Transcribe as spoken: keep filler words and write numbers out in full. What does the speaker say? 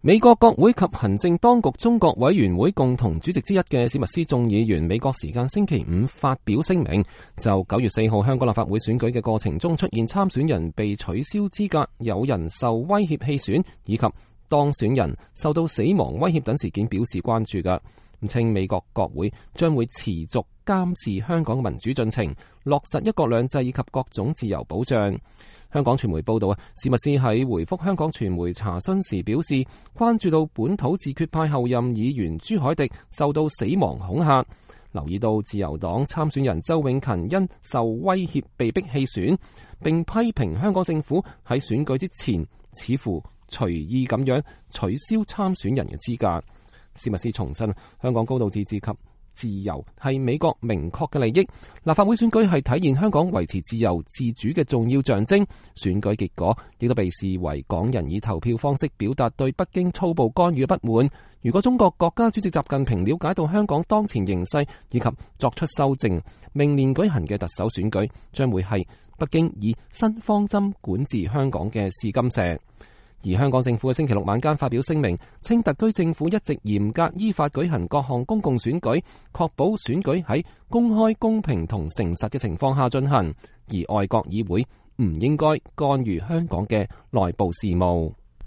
美國國會及行政當局中國委員會共同主席之一嘅史密斯眾議員，美國時間星期五發表聲明，就九月四號香港立法會選舉嘅過程中出現參選人被取消資格、有人受威脅棄選以及當選人受到死亡威脅等事件表示關注嘅，稱美國國會將會持續監視香港民主進程，落實一國兩制以及各種自由保障。香港傳媒報道啊，史密斯喺回覆香港傳媒查詢時表示，關注到本土自決派候任議員朱凱廸受到死亡恐嚇，留意到自由黨參選人周永勤因受威脅被逼棄選，並批評香港政府喺選舉之前似乎隨意咁樣取消參選人嘅資格。史密斯重申，香港高度自治及自由係美國明確嘅利益，立法會選舉係體現香港維持自由自主嘅重要象徵，選舉結果亦都被視為港人以投票方式表達對北京粗暴干預嘅不滿。如果中國國家主席習近平了解到香港當前形勢以及作出修正，明年舉行嘅特首選舉將會係北京以新方針管治香港嘅試金石。而香港政府喺星期六晚間發表聲明，稱特區政府一直嚴格依法舉行各項公共選舉，確保選舉喺公開、公平同誠實嘅情況下進行，而外國議會唔應該干預香港嘅內部事務。